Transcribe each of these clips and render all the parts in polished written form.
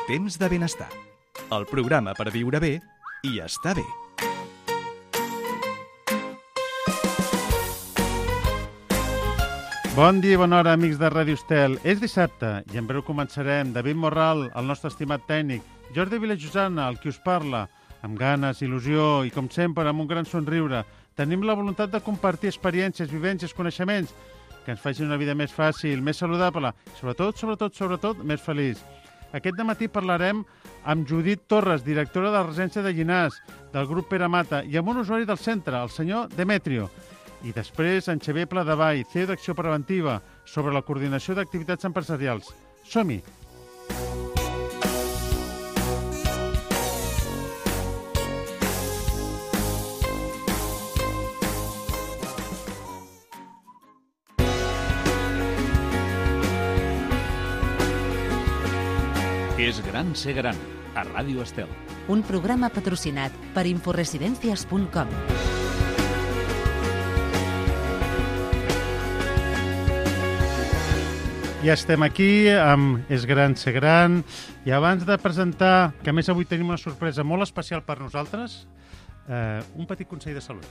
Temps de benestar. El programa per viure bé i estar bé. Bon dia i bona hora, amics de Ràdio Estel. És dissabte i en breu començarem. David Morral, el nostre estimat tècnic, Jordi Vilajosana, el qui us parla, amb ganes, il·lusió i, com sempre, amb un gran somriure. Tenim la voluntat de compartir experiències, vivències, coneixements que ens facin una vida més fàcil, més saludable, sobretot, més feliç. Aquest dematí parlarem amb Judit Torres, directora de la residència de Llinars, del grup Pere Mata, i amb un usuari del centre, el senyor Demetrio. I després en Xavier Pladevall, CEO d'Acció Preventiva, sobre la coordinació d'activitats empresarials. Som-hi! És gran ser gran, a Ràdio Estel. Un programa patrocinat per inforesidencias.com. Ja estem aquí amb És gran ser gran i abans de presentar, que a més avui tenim una sorpresa molt especial per nosaltres, un petit consell de salut.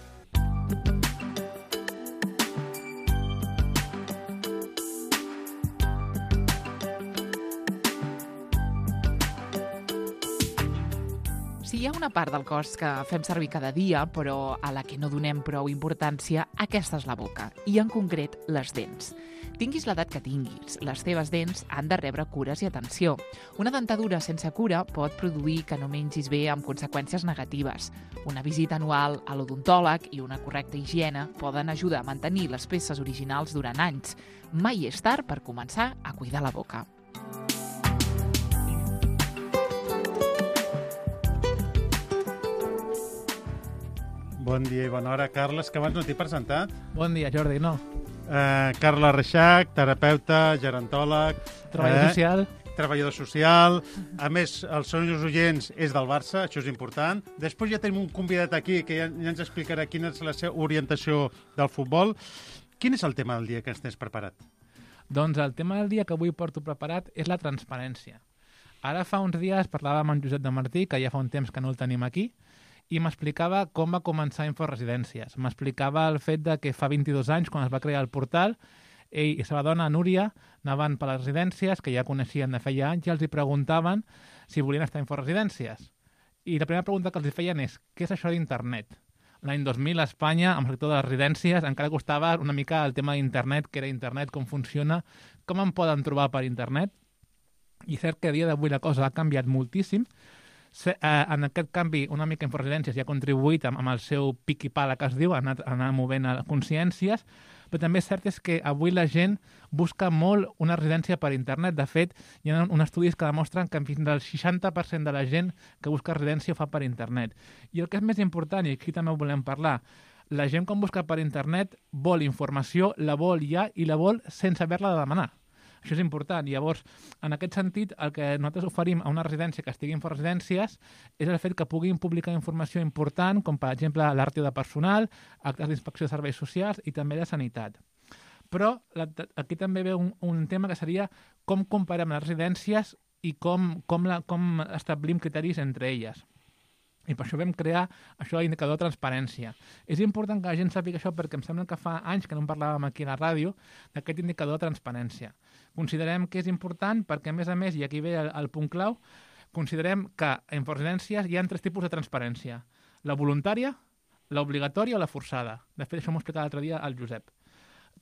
Si hi ha una part del cos que fem servir cada dia, però a la que no donem prou importància, aquesta és la boca, i en concret les dents. Tinguis l'edat que tinguis, les teves dents han de rebre cures i atenció. Una dentadura sense cura pot produir que no mengis bé amb conseqüències negatives. Una visita anual a l'odontòleg i una correcta higiene poden ajudar a mantenir les peces originals durant anys. Mai és tard per començar a cuidar la boca. Bon dia i bona hora, Carles, que abans no t'he presentat. Bon dia, Jordi, no. Carles Reixac, terapeuta, gerontòleg... Treballador social. A més, els seus oients és del Barça, això és important. Després ja tenim un convidat aquí que ja ens explicarà quina és la seva orientació del futbol. Quin és el tema del dia que ens tens preparat? Doncs el tema del dia que avui porto preparat és la transparència. Ara fa uns dies parlàvem amb Josep de Martí, que ja fa un temps que no el tenim aquí, i m'explicava com va començar Inforesidències. M'explicava el fet de que fa 22 anys, quan es va crear el portal, ell i la seva dona, Núria, anaven per les residències, que ja coneixien de feia anys, i els hi preguntaven si volien estar a Inforesidències. I la primera pregunta que els feien és: què és això d'internet? L'any 2000 a Espanya, amb el sector de les residències, encara costava una mica el tema d'internet, què era internet, com funciona, com em poden trobar per internet. I és cert que a dia d'avui la cosa ha canviat moltíssim. En aquest canvi, una mica Inforesidències ja ha contribuït amb el seu pic i pala, que es diu, a anar movent a consciències, però també és cert és que avui la gent busca molt una residència per internet. De fet, hi ha uns estudis que demostren que fins al 60% de la gent que busca residència ho fa per internet. I el que és més important, i aquí també ho volem parlar, la gent quan busca per internet vol informació, la vol ja i la vol sense haver-la de demanar. Això és important. Llavors, en aquest sentit, el que nosaltres oferim a una residència que estigui en Inforesidències és el fet que puguin publicar informació important, com per exemple la ràtio de personal, actes d'inspecció de serveis socials i també de sanitat. Però aquí també ve un tema que seria com comparem les residències i com establim criteris entre elles. I per això vam crear això d'indicador de transparència. És important que la gent sàpiga això perquè em sembla que fa anys que no en parlàvem aquí a la ràdio d'aquest indicador de transparència. Considerem que és important perquè, a més, i aquí ve el punt clau, considerem que a Inforesidències hi ha 3 tipus de transparència: la voluntària, l'obligatòria o la forçada. De fet, això m'ho explicava l'altre dia el Josep.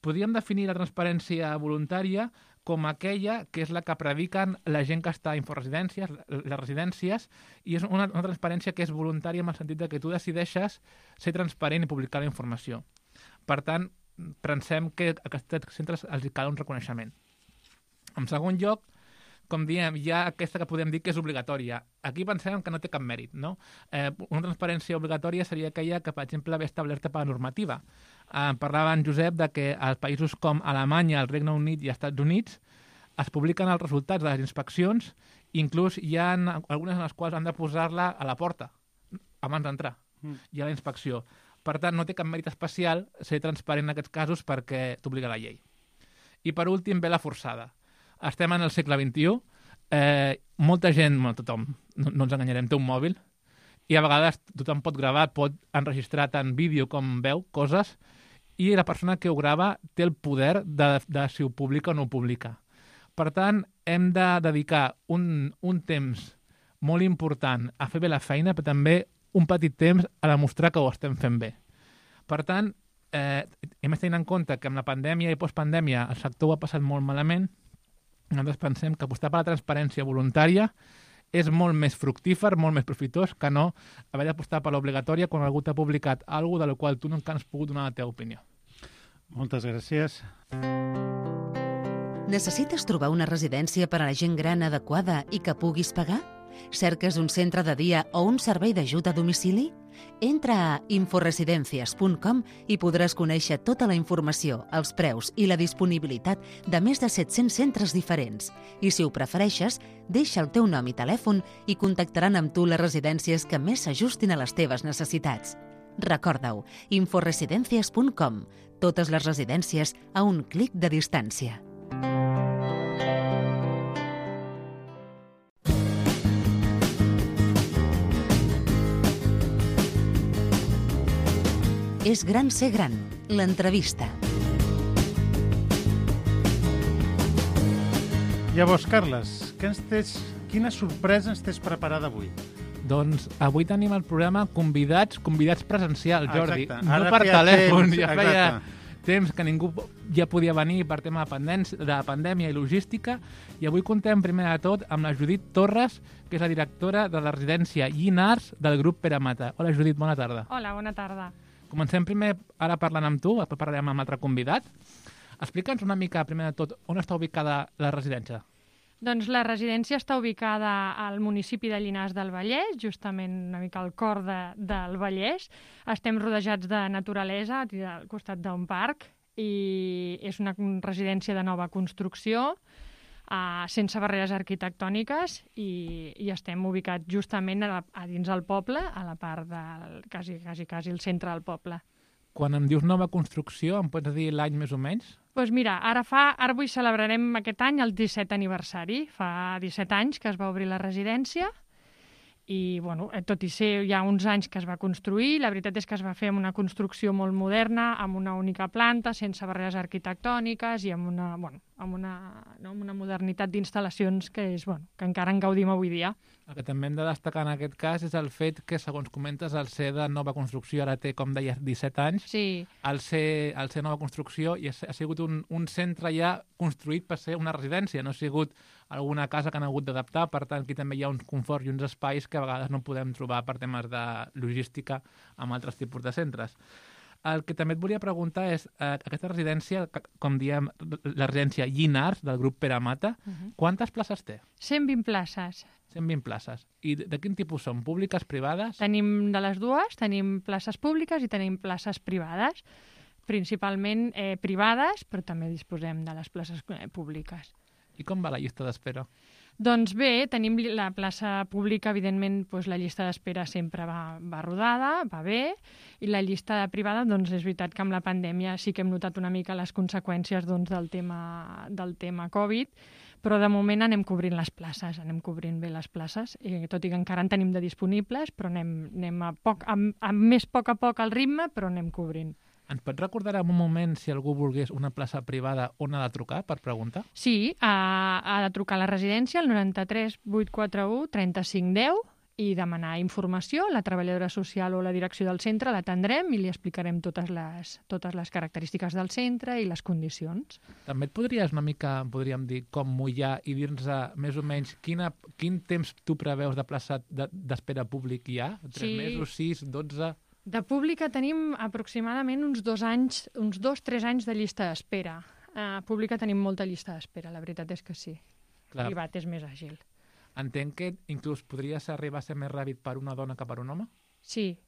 Podríem definir la transparència voluntària com aquella que és la que prediquen la gent que està a Inforesidències, les residències, i és una transparència que és voluntària en el sentit que tu decideixes ser transparent i publicar la informació. Per tant, pensem que a aquests centres els cal un reconeixement. En segon lloc, com diem, hi ha aquesta que podem dir que és obligatòria. Aquí pensem que no té cap mèrit, no? Una transparència obligatòria seria aquella que, per exemple, ve establerta per la normativa. Parlava en Josep de que als països com Alemanya, el Regne Unit i els Estats Units es publiquen els resultats de les inspeccions, inclús hi ha algunes en les quals han de posar-la a la porta abans d'entrar, i a la inspecció. Per tant, no té cap mèrit especial ser transparent en aquests casos perquè t'obliga la llei. I per últim ve la forçada. Estem en el segle XXI, molta gent, tothom, no ens enganyarem, té un mòbil, i a vegades tothom pot gravar, pot enregistrar tant vídeo com veu coses, i la persona que ho grava té el poder de si ho publica o no ho publica. Per tant, hem de dedicar un temps molt important a fer bé la feina, però també un petit temps a demostrar que ho estem fent bé. Per tant, hem de tenir en compte que amb la pandèmia i postpandèmia el sector ho ha passat molt malament. Nosaltres pensem que apostar per la transparència voluntària és molt més fructífer, molt més profitós que no haver d'apostar per l'obligatòria quan algú t'ha publicat alguna cosa de la qual tu no encara has pogut donar la teva opinió. Moltes gràcies. Necessites trobar una residència per a la gent gran adequada i que puguis pagar? Cerques un centre de dia o un servei d'ajuda a domicili? Entra a inforesidencias.com i podràs conèixer tota la informació, els preus i la disponibilitat de més de 700 centres diferents. I si ho prefereixes, deixa el teu nom i telèfon i contactaran amb tu les residències que més s'ajustin a les teves necessitats. Recorda-ho, inforesidencias.com. Totes les residències a un clic de distància. És gran ser gran, l'entrevista. Llavors, Carles, quina sorpresa ens tens preparada avui? Doncs avui tenim el programa convidats presencials, Jordi. Exacte. No Ara per feia telèfon, temps, ja feia exacte. temps que ningú ja podia venir per tema de pandèmia i logística, i avui contem primer de tot amb la Judit Torres, que és la directora de la residència Llinars del grup Pere Mata. Hola, Judit, bona tarda. Hola, bona tarda. Comencem primer ara parlant amb tu, després parlarem amb l'altre convidat. Explica'ns una mica, primer de tot, on està ubicada la residència. Doncs la residència està ubicada al municipi de Llinars del Vallès, justament una mica al cor del Vallès. Estem rodejats de naturalesa al costat d'un parc i és una residència de nova construcció, sense barreres arquitectòniques i estem ubicats justament a dins del poble, a la part del quasi el centre del poble. Quan em dius nova construcció, em pots dir l'any més o menys? Doncs mira, ara avui celebrarem aquest any el 17 aniversari. Fa 17 anys que es va obrir la residència i, bueno, tot i ser ja uns anys que es va construir, la veritat és que es va fer amb una construcció molt moderna, amb una única planta, sense barreres arquitectòniques i amb una modernitat d'instal·lacions que encara en gaudim avui dia. El que també hem de destacar en aquest cas és el fet que, segons comentes, el ser de nova construcció ara té, com deies, 17 anys. Sí. Al ser nova construcció i ha sigut un centre ja construït per ser una residència, no ha sigut alguna casa que han hagut d'adaptar, per tant, aquí també hi ha uns conforts i uns espais que a vegades no podem trobar per temes de logística amb altres tipus de centres. El que també et volia preguntar és, aquesta residència, com diem, la residència Llinars, del grup Pere Mata, quantes places té? 120 places. 120 places. I de quin tipus són? Públiques, privades? Tenim de les dues, tenim places públiques i tenim places privades. Principalment privades, però també disposem de les places públiques. I com va la llista d'espera? Doncs bé, tenim la plaça pública, evidentment, doncs la llista d'espera sempre va rodada, va bé, i la llista privada, doncs és veritat que amb la pandèmia sí que hem notat una mica les conseqüències del tema Covid, però de moment anem cobrint les places, anem cobrint bé les places, tot i que encara en tenim de disponibles, però anem a poc a poc al ritme, però anem cobrint. Ens pots recordar en un moment, si algú volgués una plaça privada, on ha de trucar per preguntar? Sí, ha de trucar a la residència al 93 841 3510 i demanar informació. La treballadora social o la direcció del centre l'atendrem i li explicarem totes les característiques del centre i les condicions. També et podries una mica, podríem dir, com mullar i dir-nos més o menys quin temps tu preveus de plaça d'espera públic hi ha? 3 mesos, 6, 12... De pública tenim aproximadament uns 2-3 anys de llista d'espera. Pública tenim molta llista d'espera, la veritat és que sí. Clar. Privat és més àgil. Entenc que inclús podries arribar a ser més ràpid per una dona que per un home? Sí.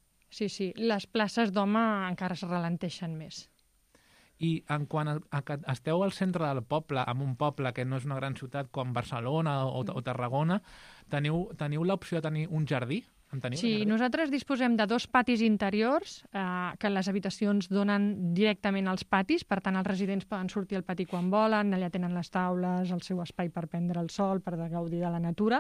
Les places d'home encara es ralenteixen més. I en quant a que esteu al centre del poble, en un poble que no és una gran ciutat com Barcelona o Tarragona, teniu l'opció de tenir un jardí En teniu? Sí, nosaltres disposem de 2 patis interiors que les habitacions donen directament als patis, per tant els residents poden sortir al pati quan volen, allà tenen les taules, el seu espai per prendre el sol, per gaudir de la natura.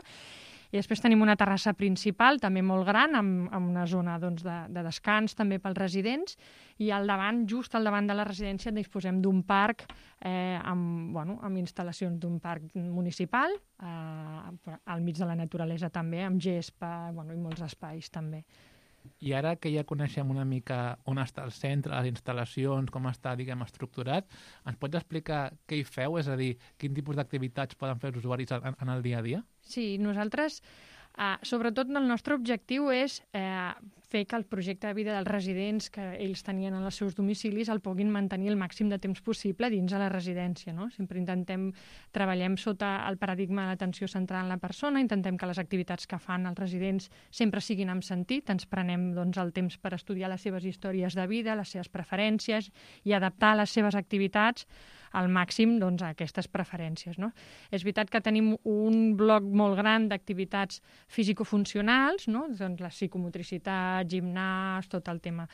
I després tenim una terrassa principal, també molt gran, amb una zona doncs, de descans també pels residents, i al davant, just al davant de la residència, disposem d'un parc amb instal·lacions d'un parc municipal, al mig de la naturalesa també, amb gespa i molts espais també. I ara que ja coneixem una mica on està el centre, les instal·lacions, com està, diguem, estructurat, ens pots explicar què hi feu? És a dir, quin tipus d'activitats poden fer els usuaris en el dia a dia? Sí, nosaltres, sobretot el nostre objectiu és fer que el projecte de vida dels residents que ells tenien en els seus domicilis el puguin mantenir el màxim de temps possible dins de la residència, no? Sempre treballem sota el paradigma de l'atenció centrada en la persona, intentem que les activitats que fan els residents sempre siguin amb sentit, ens prenem doncs, el temps per estudiar les seves històries de vida, les seves preferències i adaptar les seves activitats al màxim doncs, a aquestes preferències. No? És veritat que tenim un bloc molt gran d'activitats fisicofuncionals, no? Doncs la psicomotricitat, gimnàs, tot el tema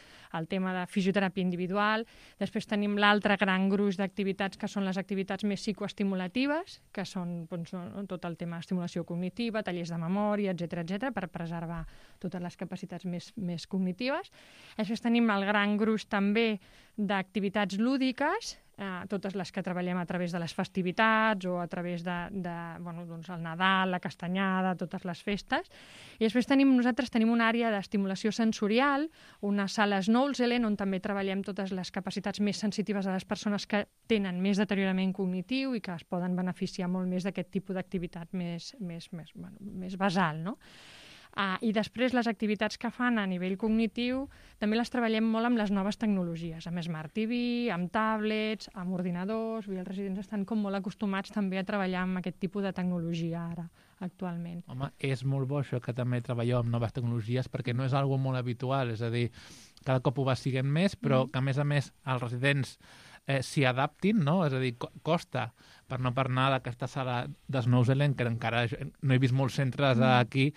de fisioteràpia individual. Després tenim l'altre gran gruix d'activitats que són les activitats més psicoestimulatives, que són doncs, tot el tema d'estimulació cognitiva, tallers de memòria, etc per preservar totes les capacitats més cognitives. Després tenim el gran gruix també d'activitats lúdiques, totes les que treballem a través de les festivitats o a través doncs el Nadal, la castanyada, totes les festes. I després nosaltres tenim una àrea d'estimulació sensorial, una sala Snowzelen, on també treballem totes les capacitats més sensitives de les persones que tenen més deteriorament cognitiu i que es poden beneficiar molt més d'aquest tipus d'activitat més basal, no? I després les activitats que fan a nivell cognitiu també les treballem molt amb les noves tecnologies, amb Smart TV, amb tablets, amb ordinadors. Els residents estan com molt acostumats també a treballar amb aquest tipus de tecnologia ara, actualment. Home, és molt bo això que també treballeu amb noves tecnologies perquè no és algo molt habitual, és a dir, cada cop ho va siguent més, però que a més els residents s'hi adaptin, no? És a dir, costa, per no parlar d'aquesta sala de Snowzelen, que encara no he vist molts centres aquí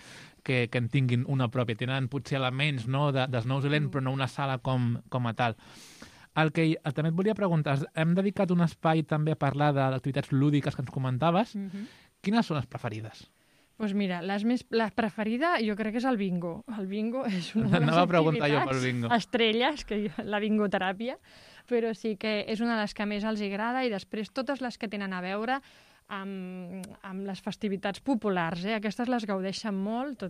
que en tinguin una pròpia. Tenen potser elements no, de Snowzelen, però no una sala com a tal. El que també et volia preguntar, hem dedicat un espai també a parlar d'activitats lúdiques que ens comentaves. Quines són les preferides? Doncs mira, la preferida jo crec que és el bingo. El bingo és una de les activitats estrelles, la bingoteràpia, però sí que és una de les que més els agrada i després totes les que tenen a veure amb les festivitats populars. Aquestes les gaudeixen molt.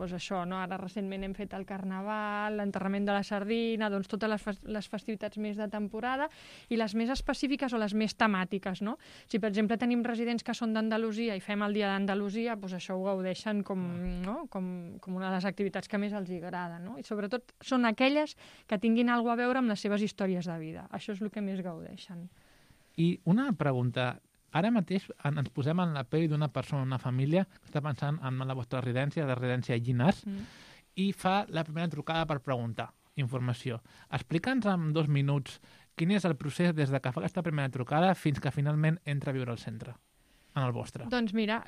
Això, no? Ara recentment hem fet el Carnaval, l'enterrament de la sardina, doncs totes les festivitats més de temporada i les més específiques o les més temàtiques. No? Si, per exemple, tenim residents que són d'Andalusia i fem el dia d'Andalusia, doncs això ho gaudeixen com una de les activitats que més els agrada. No? I sobretot són aquelles que tinguin alguna a veure amb les seves històries de vida. Això és el que més gaudeixen. I una pregunta. Ara mateix ens posem en la pell d'una persona, una família, que està pensant en la vostra residència, la residència Llinars, i fa la primera trucada per preguntar informació. Explica'ns en 2 minuts quin és el procés des de que fa aquesta primera trucada fins que finalment entra a viure al centre, en el vostre. Doncs mira,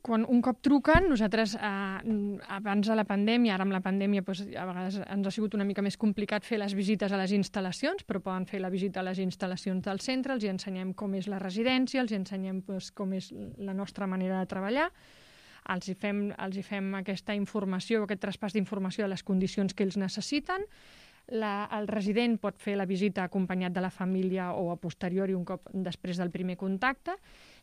quan un cop truquen, nosaltres abans de la pandèmia, ara amb la pandèmia a vegades ens ha sigut una mica més complicat fer les visites a les instal·lacions, però poden fer la visita a les instal·lacions del centre, els hi ensenyem com és la residència, els hi ensenyem com és la nostra manera de treballar, els hi fem aquesta informació, aquest traspàs d'informació de les condicions que ells necessiten. El resident pot fer la visita acompanyat de la família o a posteriori un cop després del primer contacte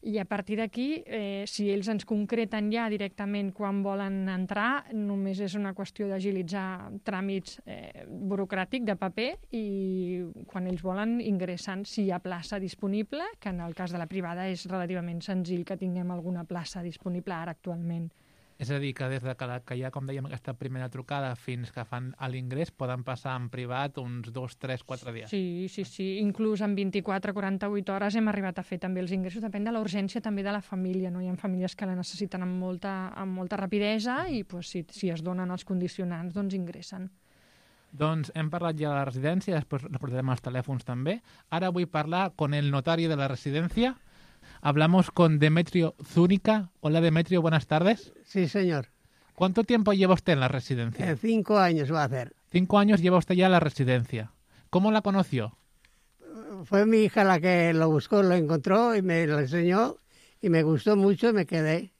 i a partir d'aquí, si ells ens concreten ja directament quan volen entrar, només és una qüestió d'agilitzar tràmits burocràtics de paper i quan ells volen ingressen si hi ha plaça disponible, que en el cas de la privada és relativament senzill que tinguem alguna plaça disponible ara actualment. És a dir, que des de que hi ha, com dèiem, aquesta primera trucada fins que fan l'ingrés poden passar en privat uns 2, 3, 4 dies. Sí. Inclús en 24-48 hores hem arribat a fer també els ingressos. Depèn de la urgència també de la família. No? Hi ha famílies que la necessiten amb molta rapidesa i si es donen els condicionants, doncs ingressen. Doncs hem parlat ja de la residència, després reportarem els telèfons també. Ara vull parlar con el notario de la residencia. Hablamos con Demetrio Zúñiga. Hola, Demetrio, buenas tardes. Sí, señor. ¿Cuánto tiempo lleva usted en la residencia? 5 años va a hacer. 5 años lleva usted ya en la residencia. ¿Cómo la conoció? Fue mi hija la que lo buscó, lo encontró y me lo enseñó y me gustó mucho y me quedé.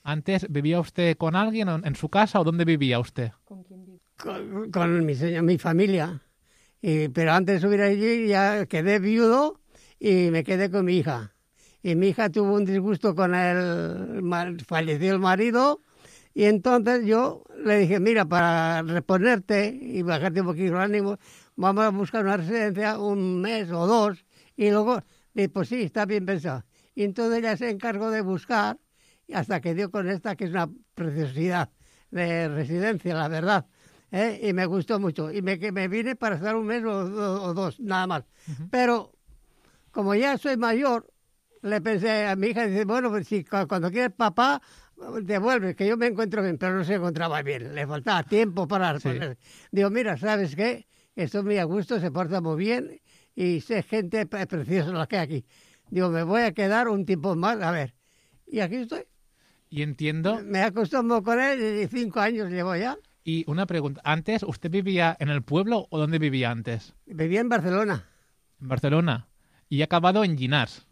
¿Antes vivía usted con alguien en su casa o dónde vivía usted? Con mi familia. Pero antes de subir allí ya quedé viudo y me quedé con mi hija. Y mi hija tuvo un disgusto con falleció el marido y entonces yo le dije, mira, para reponerte y bajarte un poquito el ánimo, vamos a buscar una residencia 1 mes o 2 y luego, pues sí, está bien pensado. Y entonces ella se encargó de buscar hasta que dio con esta, que es una preciosidad de residencia, la verdad. Y me gustó mucho. Y me vine para estar 1 mes o 2, nada más. Uh-huh. Pero como ya soy mayor, le pensé a mi hija, dice, bueno, pues si cuando quieres papá, devuelve, que yo me encuentro bien, pero no se encontraba bien. Le faltaba tiempo para responder. Sí. Digo, mira, ¿sabes qué? Estoy muy a gusto, se porta muy bien y sé gente preciosa la que hay aquí. Digo, me voy a quedar un tiempo más, a ver. Y aquí estoy. Y entiendo... Me acostumbro con él y 5 años llevo ya. Y una pregunta, ¿antes usted vivía en el pueblo o dónde vivía antes? Vivía en Barcelona. En Barcelona. Y ha acabado en Llinars.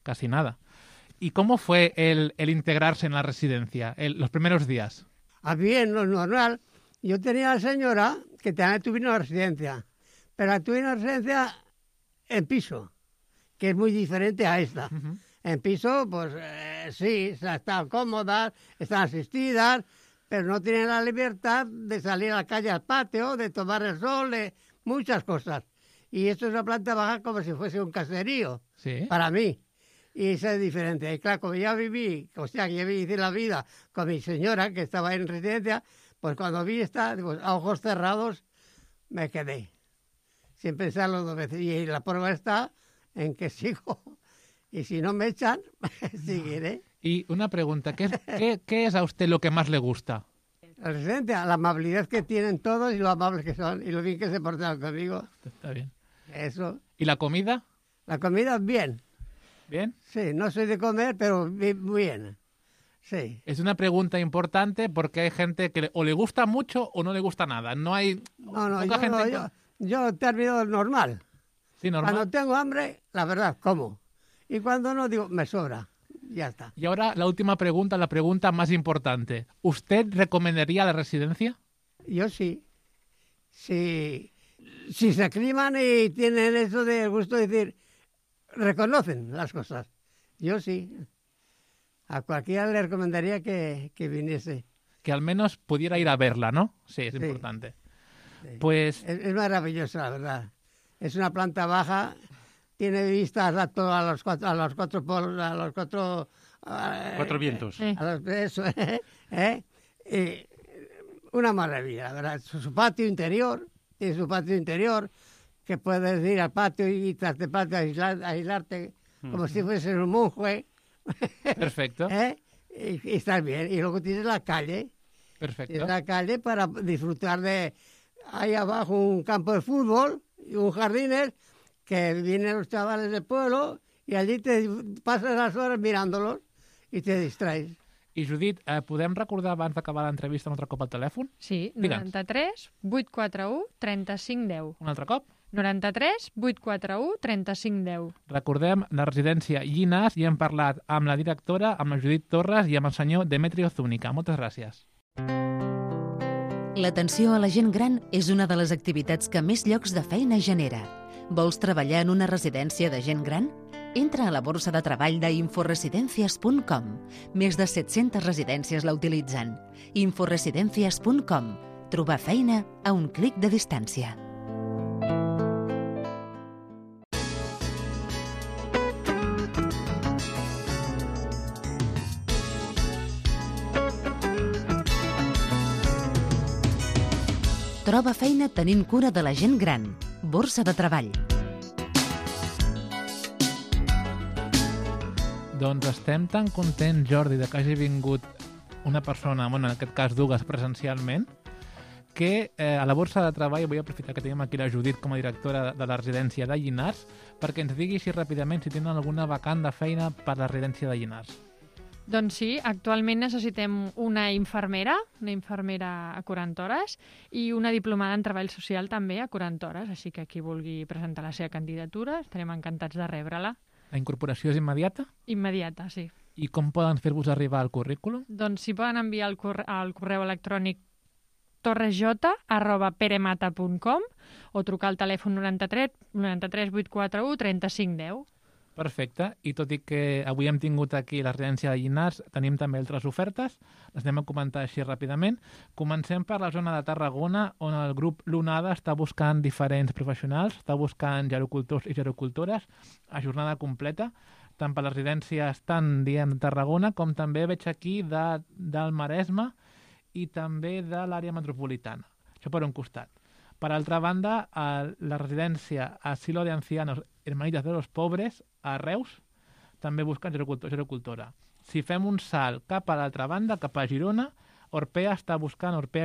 Casi nada. ¿Y cómo fue el integrarse en la residencia, los primeros días? Bien, lo normal. Yo tenía a la señora que también tuve una residencia, pero tuve una residencia en piso, que es muy diferente a esta. Uh-huh. En piso, pues sí, están cómodas, están asistidas, pero no tienen la libertad de salir a la calle al patio, de tomar el sol, de muchas cosas. Y esto es una planta baja como si fuese un caserío, ¿sí? Para mí. Y eso es diferente. Y claro, como ya viví, o sea, que ya viví la vida con mi señora, que estaba en residencia, pues cuando vi esta, pues, a ojos cerrados, me quedé. Sin pensarlo 2 veces. Y la prueba está en que sigo. Y si no me echan, seguiré. Y una pregunta, ¿qué es a usted lo que más le gusta? La residencia, la amabilidad que tienen todos y lo amables que son y lo bien que se portan conmigo. Está bien. Eso. ¿Y la comida? La comida, bien. ¿Bien? Sí, no soy de comer, pero bien. Sí. Es una pregunta importante porque hay gente que o le gusta mucho o no le gusta nada. No hay... Yo termino normal. Sí, normal. Cuando tengo hambre, la verdad, como. Y cuando no, digo, me sobra. Ya está. Y ahora la última pregunta, la pregunta más importante. ¿Usted recomendaría la residencia? Yo sí. Si se acliman y tienen eso de gusto de decir, reconocen las cosas. Yo sí. A cualquiera le recomendaría que viniese. Que al menos pudiera ir a verla, ¿no? Sí, es importante. Sí. Pues... Es maravilloso, la verdad. Es una planta baja, tiene vistas a los 4 polos, a los 4... 4 vientos. Eso, una maravilla, la verdad. Su patio interior, tiene su patio interior, que puedes ir al patio y tras de patio aislarte como si fueses un monje. Perfecto. Y estás bien. Y luego tienes la calle. Perfecto. Tienes la calle para disfrutar de... Ahí abajo un campo de fútbol y un jardines que vienen los chavales del pueblo y allí te pasas las horas mirándolos i te distraes. I Judit, podem recordar abans d'acabar l'entrevista un altre cop al telèfon? Sí, 93 841 3510. Un altre cop? 93 841 3510. Recordem la residència Llinars i hem parlat amb la directora, amb la Judit Torres i amb el senyor Demetrio Zúñiga. Moltes gràcies. L'atenció a la gent gran és una de les activitats que més llocs de feina genera. Vols treballar en una residència de gent gran? Entra a la borsa de treball d'inforesidencias.com. Més de 700 residències la utilitzen. Inforesidencias.com. Trobar feina a un clic de distància. Troba feina tenint cura de la gent gran. Borsa de treball. Doncs estem tan contents, Jordi, que hagi vingut una persona, bueno, en aquest cas dues presencialment, que a la borsa de treball vull aprofitar que tenim aquí la Judit com a directora de la residència de Llinars perquè ens digui així ràpidament si tenen alguna vacant de feina per la residència de Llinars. Doncs sí, actualment necessitem una infermera a 40 hores i una diplomada en treball social també a 40 hores, així que qui vulgui presentar la seva candidatura estarem encantats de rebre-la. La incorporació és immediata? Immediata, sí. I com poden fer-vos arribar el currículum? Doncs s'hi poden enviar al correu electrònic torresj@peremata.com o trucar al telèfon 93 841 3510. Perfecte, i tot i que avui hem tingut aquí la residència de Llinars, tenim també altres ofertes, les anem a comentar així ràpidament. Comencem per la zona de Tarragona, on el grup Lunada està buscant diferents professionals, està buscant gerocultors i gerocultores a jornada completa, tant per les residències tant, de Tarragona, com també veig aquí del Maresme i també de l'àrea metropolitana. Això per un costat. Per altra banda, la residència Asilo de Ancianos Hermanitas de los Pobres, a Reus, també busquen gerocultor i gerocultora. Si fem un salt cap a l'altra banda, cap a Girona, Orpea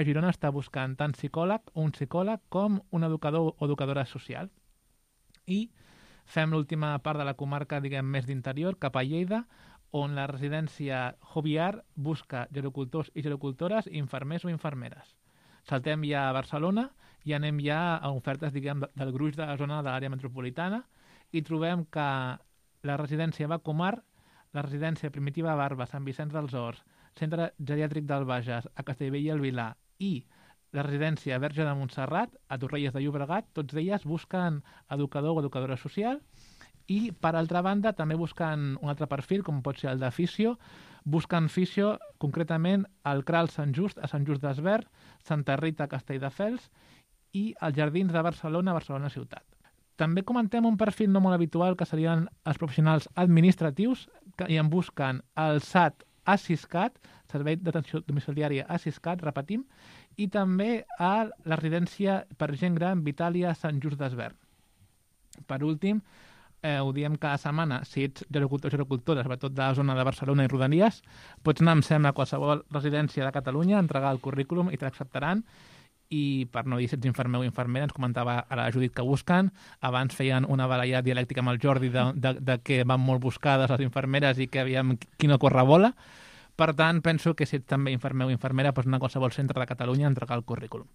Girona està buscant tant un psicòleg com un educador o educadora social. I fem l'última part de la comarca, més d'interior, cap a Lleida, on la residència Joviar busca gerocultors i gerocultores, infermers o infermeres. Saltem ja a Barcelona i anem ja a ofertes, del gruix de la zona de l'àrea metropolitana i trobem que la residència Vacomar, la residència Primitiva Barba, Sant Vicenç dels Horts, Centre Geriàtric del Bages, a Castellbell i el Vilar i la residència Verge de Montserrat, a Torrelles de Llobregat, tots elles busquen educador o educadora social i, per altra banda, també busquen un altre perfil, com pot ser el de fisio, busquen fisio, concretament al CRAL Sant Just, a Sant Just d'Esvern, Santa Rita, a Castelldefels i als Jardins de Barcelona, Barcelona Ciutat. També comentem un perfil no molt habitual, que serien els professionals administratius, i en busquen el SAT ASISCAT, Servei d'Atenció Domiciliària ASISCAT, repetim, i també a la residència per gent gran Vitàlia Sant Just d'Esvern. Per últim, ho diem cada setmana, si ets gerocultor o gerocultora, sobretot de la zona de Barcelona i Rodalies, pots anar, em sembla, a qualsevol residència de Catalunya, entregar el currículum i t'acceptaran. I per no dir si ets infermer o infermera, ens comentava ara la Judit que busquen. Abans feien una baralla dialèctica amb el Jordi de que van molt buscades les infermeres i que aviam qui no corre bola. Per tant, penso que si ets també infermer o infermera, pots anar a qualsevol centre de Catalunya a entregar el currículum.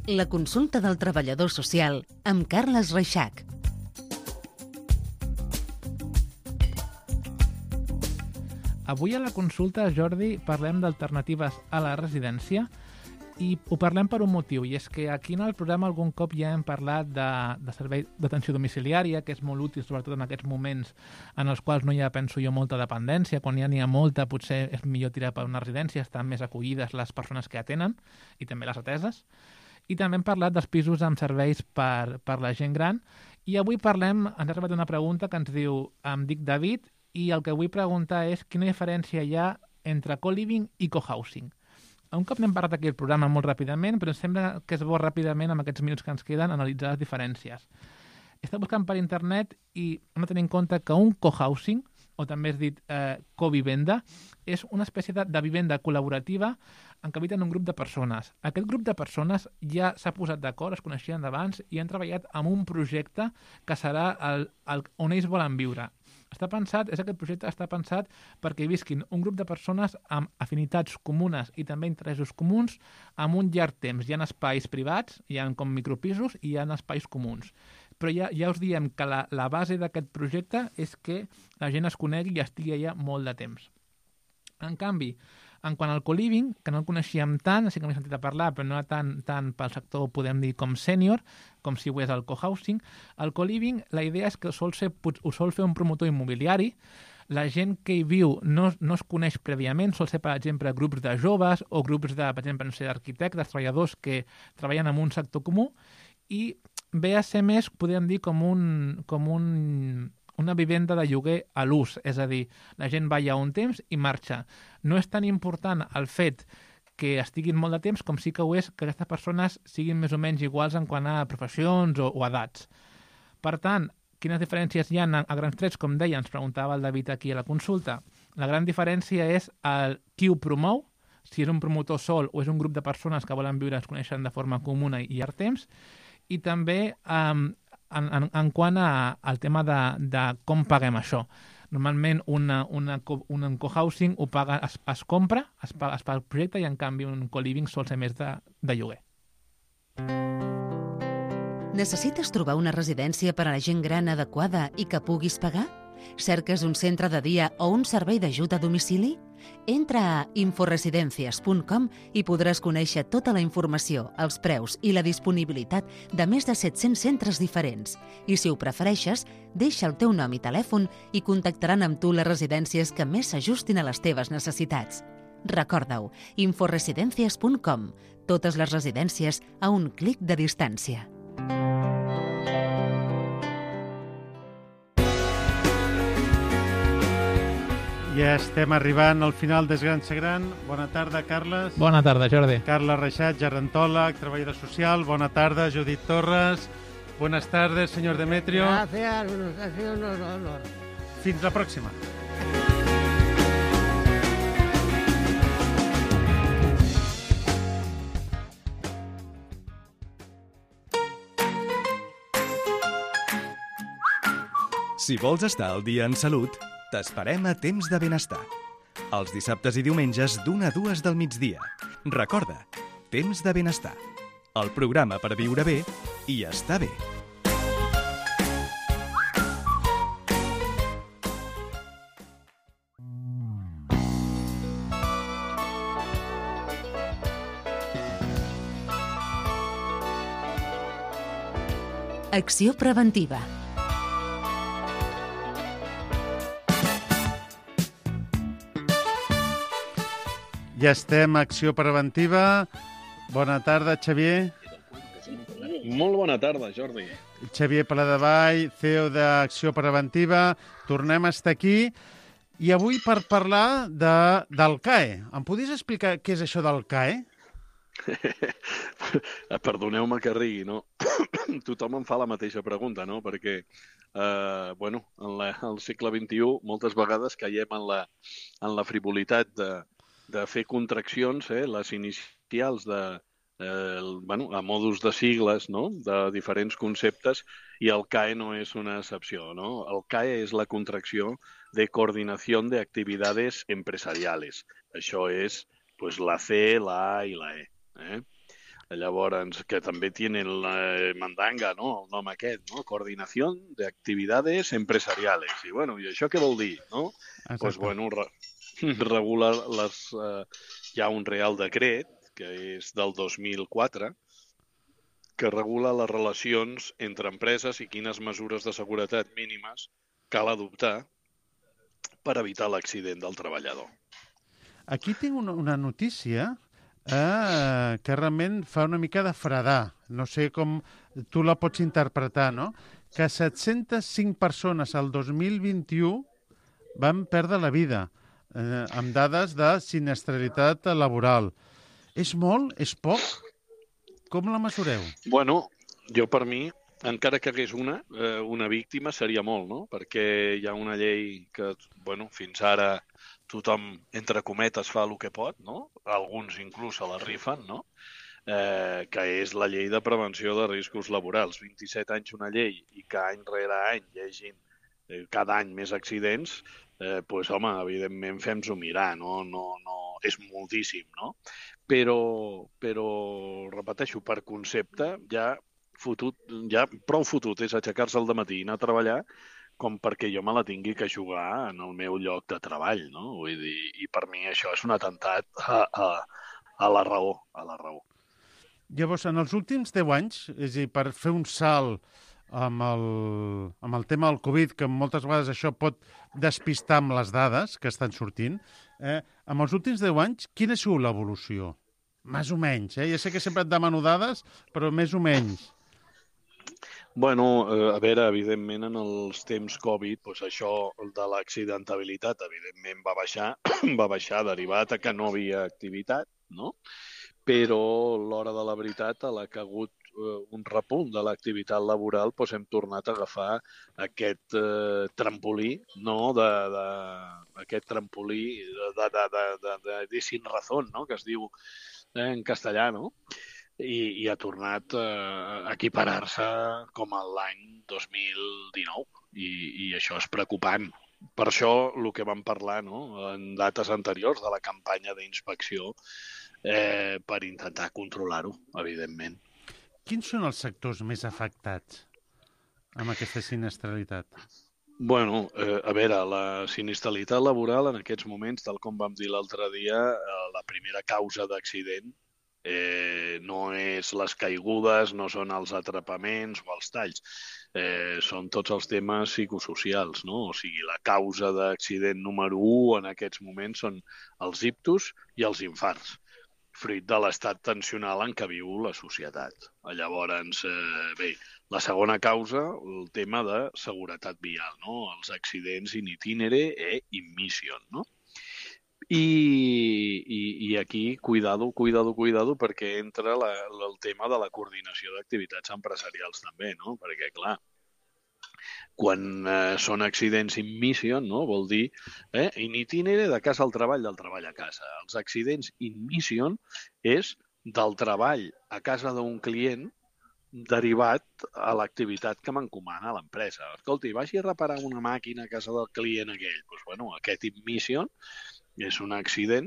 La consulta del treballador social amb Carles Reixac. Avui a la consulta, Jordi, parlem d'alternatives a la residència i ho parlem per un motiu, i és que aquí en el programa algun cop ja hem parlat de servei d'atenció domiciliària, que és molt útil sobretot en aquests moments en els quals no hi ha, penso jo, molta dependència. Quan ja n'hi ha molta, potser és millor tirar per una residència, estan més acollides les persones que atenen i també les ateses. I també hem parlat dels pisos amb serveis per la gent gran. I avui ens ha arribat una pregunta que ens diu: em dic David i el que vull preguntar és quina diferència hi ha entre co-living i co-housing. Un cop n'hem parlat aquí al programa molt ràpidament, però em sembla que és bo ràpidament, amb aquests minuts que ens queden, analitzar les diferències. He estat buscant per internet i hem de tenir en compte que un co-housing, o també és dit co-vivenda, és una espècie de vivenda col·laborativa en què habiten un grup de persones. Aquest grup de persones ja s'ha posat d'acord, es coneixien d'abans i han treballat en un projecte que serà on ells volen viure. Aquest projecte està pensat perquè hi visquin un grup de persones amb afinitats comunes i també interessos comuns amb un llarg temps. Hi ha espais privats, hi ha com micropisos i hi ha espais comuns. Però ja us diem que la base d'aquest projecte és que la gent es conegui i estigui allà molt de temps. En canvi, en quant al co-living, que no el coneixíem tant, sí que m'he sentit a parlar, però no era tant pel sector, podem dir, com sènior, com si ho és el co-housing. El co-living, la idea és que ho sol fer un promotor immobiliari. La gent que hi viu no es coneix prèviament, sol ser, per exemple, grups de joves o grups de, per exemple, d'arquitectes, treballadors que treballen en un sector comú, i ve a ser més, podríem dir, com una vivenda de lloguer a l'ús, és a dir, la gent va allà un temps i marxa. No és tan important el fet que estiguin molt de temps com sí que ho és que aquestes persones siguin més o menys iguals en quant a professions o edats. Per tant, quines diferències hi ha a grans trets? Com deia, ens preguntava el David aquí a la consulta. La gran diferència és qui ho promou, si és un promotor sol o és un grup de persones que volen viure, es coneixen de forma comuna i llarg temps, i també en quant al tema de com paguem això. Normalment un cohousing ho paga, es compra, es paga el projecte, i en canvi un co-living sol ser més de lloguer. Necessites trobar una residència per a la gent gran adequada i que puguis pagar? Cerques un centre de dia o un servei d'ajut a domicili? Entra a inforesidencias.com i podràs conèixer tota la informació, els preus i la disponibilitat de més de 700 centres diferents. I si ho prefereixes, deixa el teu nom i telèfon i contactaran amb tu les residències que més s'ajustin a les teves necessitats. Recorda-ho, inforesidencias.com. Totes les residències a un clic de distància. Ja estem arribant al final del Gran Ser Gran. Bona tarda, Carles. Bona tarda, Jordi. Carles Reixat, gerontòleg, treballador social. Bona tarda, Judit Torres. Buenas tardes, señor Demetrio. Gracias, ha sido un honor. Fins la pròxima. Si vols estar al dia en salut, t'esperem a Temps de Benestar. Els dissabtes i diumenges d'1 a 2 del migdia. Recorda, Temps de Benestar. El programa per viure bé i estar bé. Acció preventiva. Ja estem a Acció Preventiva. Bona tarda, Xavier. Molt bona tarda, Jordi. Xavier Paladevall, CEO d'Acció Preventiva. Tornem a estar aquí. I avui per parlar del CAE. Em podries explicar què és això del CAE? Perdoneu-me que rigui, no? Tothom em fa la mateixa pregunta, no? Perquè, al segle XXI moltes vegades caiem en la frivolitat de fer contraccions, les inicials a modus de sigles, no? De diferents conceptes, i el CAE no és una excepció, no? El CAE és la contracció de Coordinación de Actividades Empresariales. Això és la C, la A i la E. Llavors, que també tienen la mandanga, no? El nom aquest, no? Coordinación de Actividades Empresariales. I això què vol dir, no? Doncs, regula hi ha un Real Decret, que és del 2004, que regula les relacions entre empreses i quines mesures de seguretat mínimes cal adoptar per evitar l'accident del treballador. Aquí tinc una notícia que realment fa una mica de fredar. No sé com tu la pots interpretar, no? Que 705 persones al 2021 van perdre la vida amb dades de sinistralitat laboral. És molt? És poc? Com la mesureu? Jo per mi, encara que hagués una víctima, seria molt, no? Perquè hi ha una llei que, fins ara tothom, entre cometes, fa el que pot, no? Alguns inclús se la rifen, no? Que és la llei de prevenció de riscos laborals. 27 anys una llei i que any rere any hi hagin cada any més accidents, evidentment fem-s'ho mirar, no? És moltíssim, no? Però repeteixo, per concepte, ja prou fotut és aixecar-se al dematí i anar a treballar com perquè jo me la tingui que jugar en el meu lloc de treball, no? Vull dir, i per mi això és un atemptat a la raó, Llavors, en els últims 10 anys, és a dir, per fer un salt amb el tema del Covid, que moltes vegades això pot despistar amb les dades que estan sortint, en els últims 10 anys, quina ha sigut l'evolució? Més o menys, Ja sé que sempre et demano dades, però més o menys. A veure, evidentment, en els temps Covid, això de l'accidentabilitat, evidentment, va baixar derivat a que no havia activitat, no? Però l'hora de la veritat, a la que ha hagut un repunt de l'activitat laboral, doncs hem tornat a agafar aquest trampolí, no? Aquest trampolí de sin razón, no? Que es diu en castellà, no? I ha tornat a equiparar-se com l'any 2019. I això és preocupant. Per això el que vam parlar, no? En dates anteriors de la campanya d'inspecció per intentar controlar-ho, evidentment. Quins són els sectors més afectats amb aquesta sinistralitat? Bueno, a veure, la sinistralitat laboral en aquests moments, tal com vam dir l'altre dia, la primera causa d'accident no és les caigudes, no són els atrapaments o els talls, són tots els temes psicosocials, no? O sigui, la causa d'accident número 1 en aquests moments són els ictus i els infarts, fruit de l'estat tensional en què viu la societat. Llavors, bé, la segona causa, el tema de seguretat vial, no? Els accidents in itinere e in mission, no? I aquí, cuidado, perquè entra el tema de la coordinació d'activitats empresarials també, no? Perquè, clar, quan són accidents in mission, no? Vol dir in itinere de casa al treball, del treball a casa. Els accidents in mission és del treball a casa d'un client derivat a l'activitat que m'encomana l'empresa. Escolti, vagi a reparar una màquina a casa del client aquell. Doncs, bueno, aquest in mission és un accident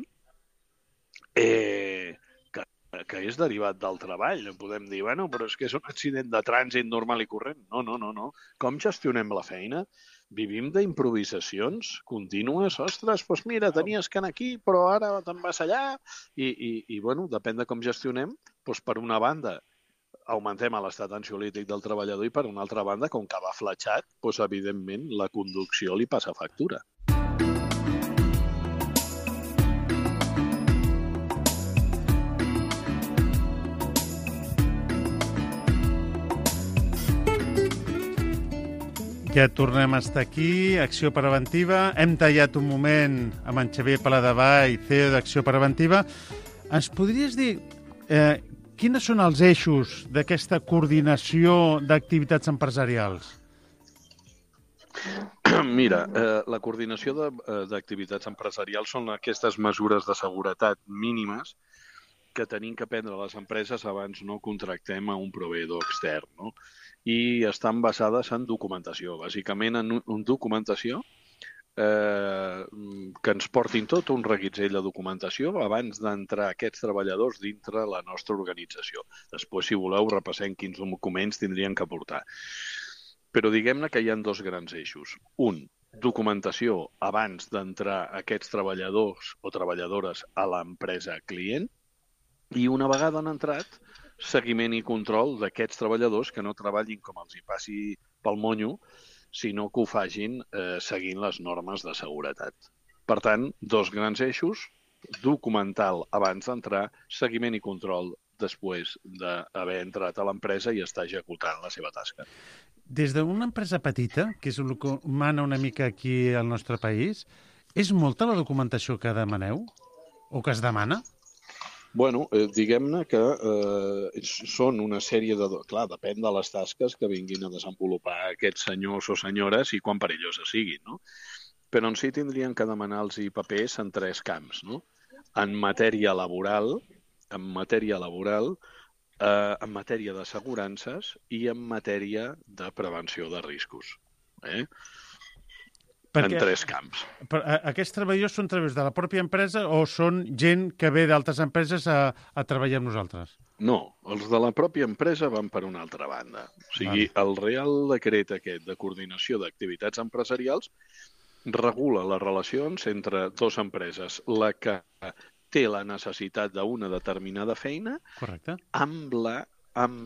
que és derivat del treball. No podem dir, bueno, però és que és un accident de trànsit normal i corrent. No. Com gestionem la feina? Vivim d'improvisacions contínues. Ostres, doncs mira, tenies que anar aquí, però ara te'n vas allà. I bueno, depèn de com gestionem, doncs per una banda augmentem l'estat ansiolític del treballador i per una altra banda, com que va fletxat, doncs evidentment la conducció li passa factura. Ja tornem a estar aquí, Acció Preventiva. Hem tallat un moment amb en Xavier Paladevall, CEO d'Acció Preventiva. Ens podries dir quins són els eixos d'aquesta coordinació d'activitats empresarials? Mira, la coordinació d'activitats empresarials són aquestes mesures de seguretat mínimes que tenim que prendre les empreses abans no contractem a un proveïdor extern, no? I estan basades en documentació, bàsicament en documentació que ens portin tot un reguitzell de documentació abans d'entrar aquests treballadors dintre la nostra organització. Després, si voleu, repassem quins documents tindrien que portar. Però diguem-ne que hi ha dos grans eixos. Un, documentació abans d'entrar aquests treballadors o treballadores a l'empresa client, i una vegada han entrat, seguiment i control d'aquests treballadors que no treballin com els hi passi pel monyo, sinó que ho facin seguint les normes de seguretat. Per tant, dos grans eixos, documental abans d'entrar, seguiment i control després d'haver entrat a l'empresa i estar executant la seva tasca. Des d'una empresa petita, que és el que mana una mica aquí al nostre país, és molta la documentació que demaneu o que es demana? Bueno, diguem-ne que són una sèrie de... Clar, depèn de les tasques que vinguin a desenvolupar aquests senyors o senyores i quan perilloses siguin, no? Però en si tindrien que demanar-los papers en tres camps, no? En matèria laboral, en matèria d'assegurances i en matèria de prevenció de riscos. En tres camps. Aquests treballadors són treballadors de la pròpia empresa o són gent que ve d'altres empreses a treballar amb nosaltres? No, els de la pròpia empresa van per una altra banda. O sigui, el Real Decret aquest de coordinació d'activitats empresarials regula les relacions entre dues empreses, la que té la necessitat d'una determinada feina, correcte, amb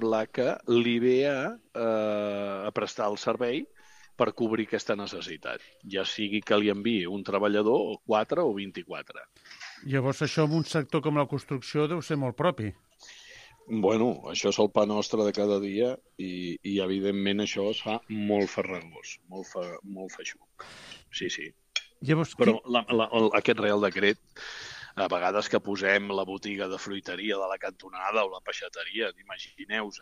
la que li ve a prestar el servei per cobrir aquesta necessitat, ja sigui que li enviï un treballador o 4 o 24. Llavors això en un sector com la construcció deu ser molt propi. Bueno, això és el pa nostre de cada dia i evidentment això es fa molt farragós, molt feixuc. Sí. Llavors, però aquest Real Decret, a vegades que posem la botiga de fruiteria de la cantonada o la peixateria, imagineu-vos,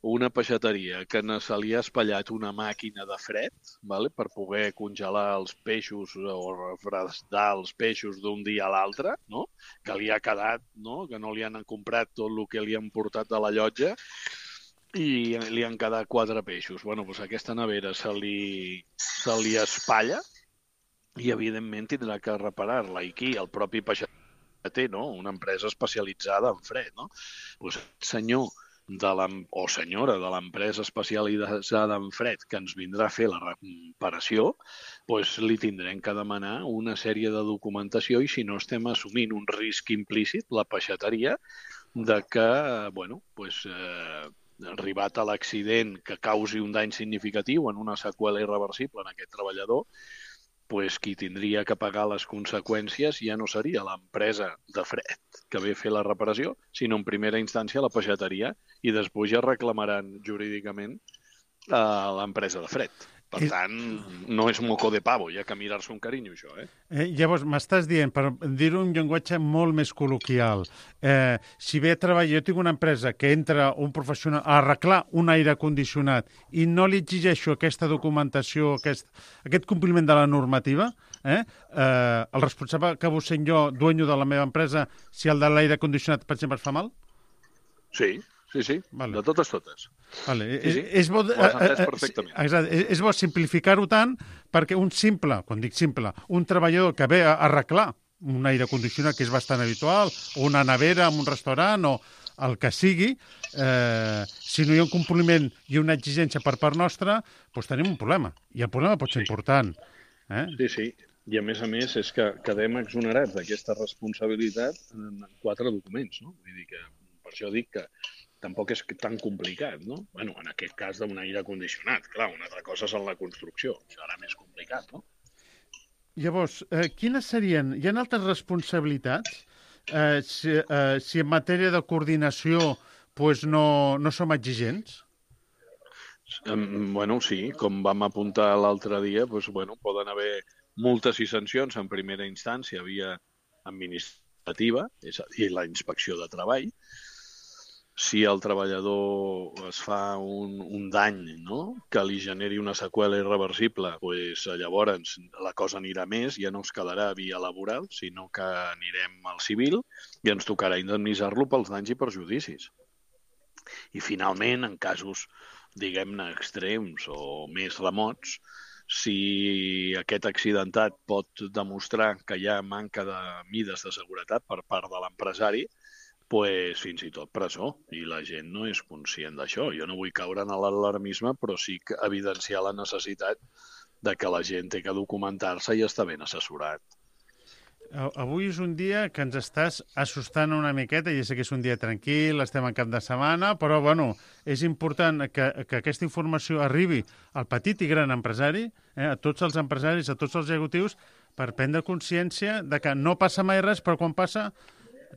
una peixateria que se li ha espatllat una màquina de fred, vale, per poder congelar els peixos o refredar els peixos d'un dia a l'altre, no? Que li ha quedat, no? Que no li han comprat tot el que li han portat de la llotja i li han quedat 4 peixos. Bueno, doncs aquesta nevera se li espatlla i, evidentment, tindrà que reparar-la. I qui? El propi peixater, no? Una empresa especialitzada en fred, no? Doncs senyor o senyora de l'empresa especialitzada en fred que ens vindrà a fer la reparació, doncs li tindrem que demanar una sèrie de documentació i si no estem assumint un risc implícit, la peixateria, de que, bueno, doncs, arribat a l'accident que causi un dany significatiu en una seqüela irreversible en aquest treballador, pues qui tindria que pagar les conseqüències ja no seria l'empresa de fred que ve a fer la reparació, sinó en primera instància la peixateria i després ja reclamaran jurídicament a l'empresa de fred. Per tant, no és moco de pavo, hi ha que mirar-se un carinyo, això, Llavors, m'estàs dient, per dir-ho en llenguatge molt més col·loquial, si ve a treballar, jo tinc una empresa que entra un professional a arreglar un aire condicionat i no li exigeixo aquesta documentació, aquest compliment de la normativa, el responsable acabo sent jo, dueño de la meva empresa, si el de l'aire condicionat, per exemple, es fa mal? Sí. Vale. De totes. Vale. Sí. És bo, ho has entès perfectament. És bo simplificar-ho tant perquè un simple, quan dic simple, un treballador que ve a arreglar un aire condicionat, que és bastant habitual, o una nevera en un restaurant, o el que sigui, si no hi ha un compliment i una exigència per part nostra, doncs tenim un problema. I el problema pot ser important. Sí. I a més és que quedem exonerats d'aquesta responsabilitat en 4 documents, no? Vull dir que, per això dic que tampoc és tan complicat, no? Bueno, en aquest cas d'un aire condicionat, clar, una altra cosa és en la construcció, això era més complicat, no? Llavors, quines serien... Hi ha altres responsabilitats? Si en matèria de coordinació pues no som exigents? Bueno, sí, com vam apuntar l'altre dia, pues, bueno, poden haver multes i sancions en primera instància via administrativa, és a dir, la inspecció de treball. Si el treballador es fa un dany, no?, que li generi una seqüela irreversible, pues, llavors la cosa anirà més, ja no es quedarà via laboral, sinó que anirem al civil i ens tocarà indemnitzar-lo pels danys i perjudicis. I finalment, en casos, diguem-ne, extrems o més remots, si aquest accidentat pot demostrar que hi ha manca de mides de seguretat per part de l'empresari, pues, fins i tot presó, i la gent no és conscient d'això. Jo no vull caure en l'alarmisme, però sí que evidenciar la necessitat de que la gent té que documentar-se i estar ben assessorat. Avui és un dia que ens estàs assustant una miqueta, ja sé que és un dia tranquil, estem en cap de setmana, però bueno, és important que aquesta informació arribi al petit i gran empresari, a tots els empresaris, a tots els executius, per prendre consciència de que no passa mai res, però quan passa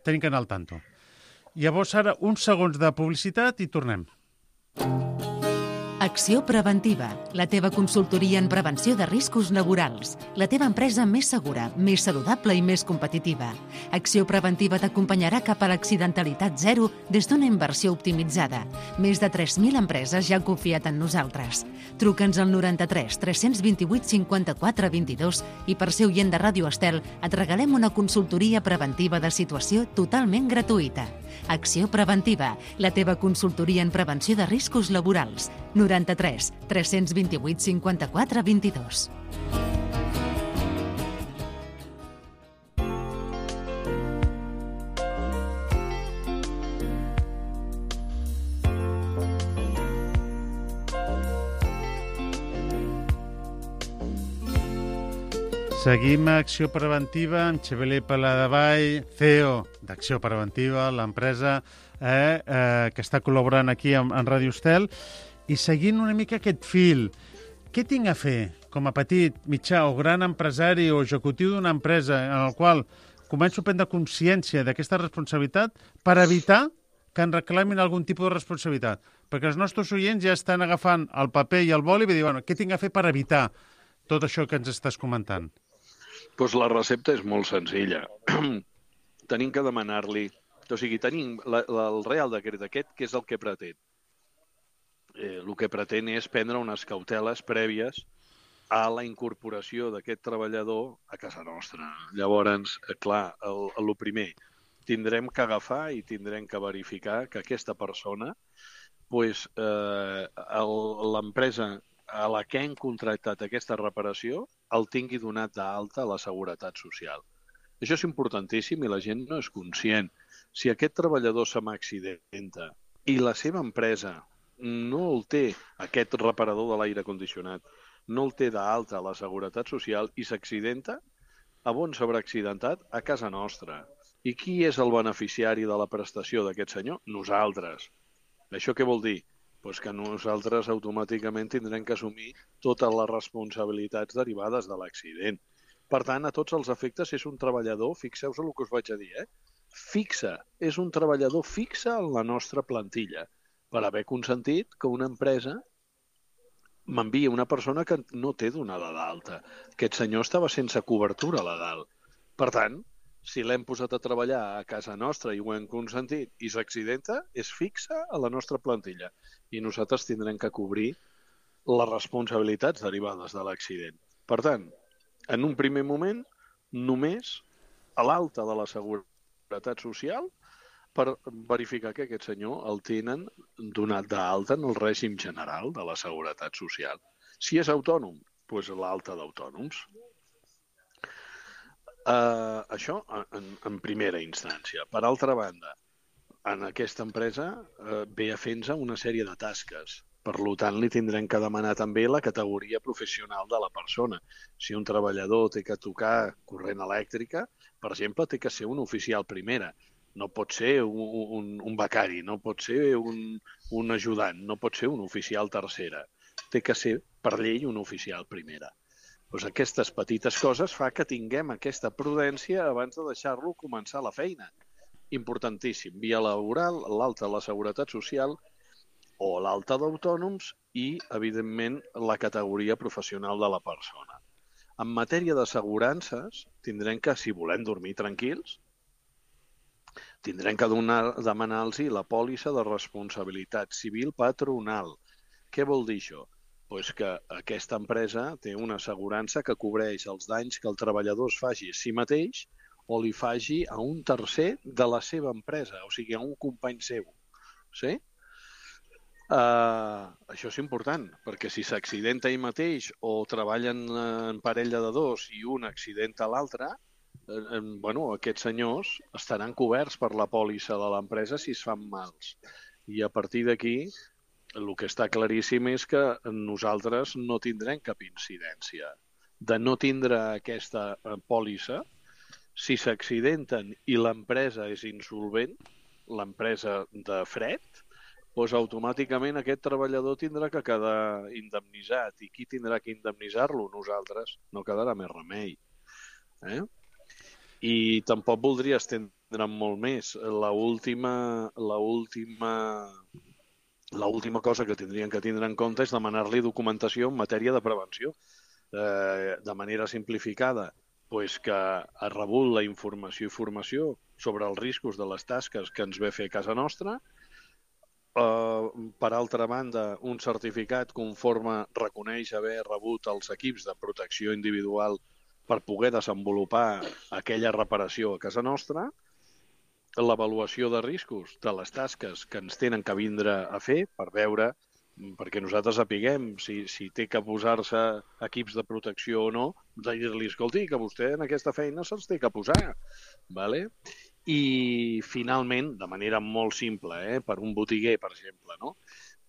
tenim que anar al tanto. Llavors, ara, uns segons de publicitat i tornem. Acció Preventiva, la teva consultoria en prevenció de riscos laborals. La teva empresa més segura, més saludable i més competitiva. Acció Preventiva t'acompanyarà cap a l'accidentalitat zero des d'una inversió optimitzada. Més de 3.000 empreses ja han confiat en nosaltres. Truca'ns al 93 328 54 22 i per ser oient de Ràdio Estel et regalem una consultoria preventiva de situació totalment gratuïta. Acció Preventiva, la teva consultoria en prevenció de riscos laborals. 93 328 54 22. Seguim a Acció Preventiva amb Xavier Paladevall, CEO d'Acció Preventiva, l'empresa que està col·laborant aquí amb Ràdio Estel. I seguint una mica aquest fil, què tinc a fer com a petit, mitjà o gran empresari o executiu d'una empresa en el qual començo a prendre consciència d'aquesta responsabilitat per evitar que en reclamin algun tipus de responsabilitat? Perquè els nostres oients ja estan agafant el paper i el boli i dir, bueno, què tinc a fer per evitar tot això que ens estàs comentant? Doncs la recepta és molt senzilla. Tenim que demanar-li... O sigui, tenim el Real Decret aquest, que és el que pretén. el que pretén és prendre unes cauteles prèvies a la incorporació d'aquest treballador a casa nostra. Llavors, clar, el primer, tindrem que agafar i tindrem que verificar que aquesta persona, l'empresa a la que hem contractat aquesta reparació, el tingui donat d'alta a la Seguretat Social. Això és importantíssim i la gent no és conscient. Si aquest treballador se m'accidenta i la seva empresa no el té, aquest reparador de l'aire condicionat, no el té d'alta a la Seguretat Social i s'accidenta, a on s'haurà accidentat? A casa nostra. I qui és el beneficiari de la prestació d'aquest senyor? Nosaltres. Això què vol dir? Pues que nosaltres automàticament tindrem que assumir totes les responsabilitats derivades de l'accident. Per tant, a tots els efectes és un treballador, fixeu-vos el que us vaig a dir, fixa, és un treballador fixe en la nostra plantilla, per haver consentit que una empresa m'envia una persona que no té donada d'alta. Aquest senyor estava sense cobertura legal. Per tant, si l'hem posat a treballar a casa nostra i ho hem consentit i s'accidenta, és fixa a la nostra plantilla. I nosaltres tindrem que cobrir les responsabilitats derivades de l'accident. Per tant, en un primer moment, només a l'alta de la Seguretat Social per verificar que aquest senyor el tenen donat d'alta en el règim general de la Seguretat Social. Si és autònom, doncs l'alta d'autònoms. Això en primera instància. Per altra banda, en aquesta empresa ve a fer-nos una sèrie de tasques. Per tant, li tindrem que demanar també la categoria professional de la persona. Si un treballador té que tocar corrent elèctrica, per exemple, té que ser un oficial primera. No pot ser un becari, no pot ser un ajudant, no pot ser un oficial tercera. Té que ser, per llei, un oficial primera. Doncs aquestes petites coses fa que tinguem aquesta prudència abans de deixar-lo començar la feina. Importantíssim. Via laboral, l'alta de la Seguretat Social o l'alta d'autònoms i, evidentment, la categoria professional de la persona. En matèria d'assegurances, tindrem que, si volem dormir tranquils, tindrem que demanar-los la pòlissa de responsabilitat civil patronal. Què vol dir això? Doncs que aquesta empresa té una assegurança que cobreix els danys que el treballador es faci a si mateix o li faci a un tercer de la seva empresa, o sigui, a un company seu. Sí? Això és important, perquè si s'accidenta ell mateix o treballen en parella de dos i un accidenta l'altre, aquests senyors estaran coberts per la pòlissa de l'empresa si es fan mals. I a partir d'aquí, el que està claríssim és que nosaltres no tindrem cap incidència. De no tindre aquesta pòlissa, si s'accidenten i l'empresa és insolvent, l'empresa de fred, doncs automàticament aquest treballador tindrà que quedar indemnitzat. I qui tindrà que indemnitzar-lo? Nosaltres. No quedarà més remei. I tampoc voldria estendre'm molt més. L'última cosa que tindrien que tindre en compte és demanar-li documentació en matèria de prevenció. De manera simplificada, doncs que ha rebut la informació i formació sobre els riscos de les tasques que ens ve a fer a casa nostra. Per altra banda, un certificat conforme reconeix haver rebut els equips de protecció individual per poder desenvolupar aquella reparació a casa nostra, l'avaluació de riscos de les tasques que ens tenen que vindre a fer per veure, perquè nosaltres sapiguem si té que posar-se equips de protecció o no, dir-li, escolti, que vostè en aquesta feina se'ls té que posar. I finalment, de manera molt simple, per un botiguer, per exemple, no?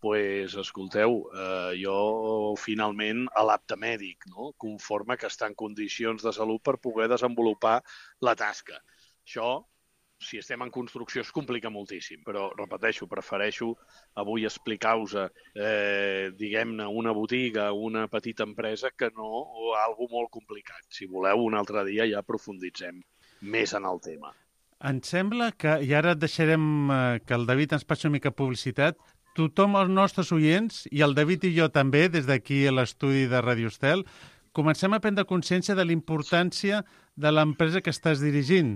Doncs, escolteu, jo finalment a l'apte mèdic, conforme que està en condicions de salut per poder desenvolupar la tasca. Això, si estem en construcció, es complica moltíssim, però, repeteixo, prefereixo avui explicar-vos, diguem-ne, una botiga, una petita empresa, que no algo molt complicat. Si voleu, un altre dia ja aprofunditzem més en el tema. Em sembla que, i ara deixarem que el David ens passi una mica publicitat, tothom, els nostres oients, i el David i jo també, des d'aquí a l'estudi de Radio Estel, comencem a prendre consciència de la importància de l'empresa que estàs dirigint.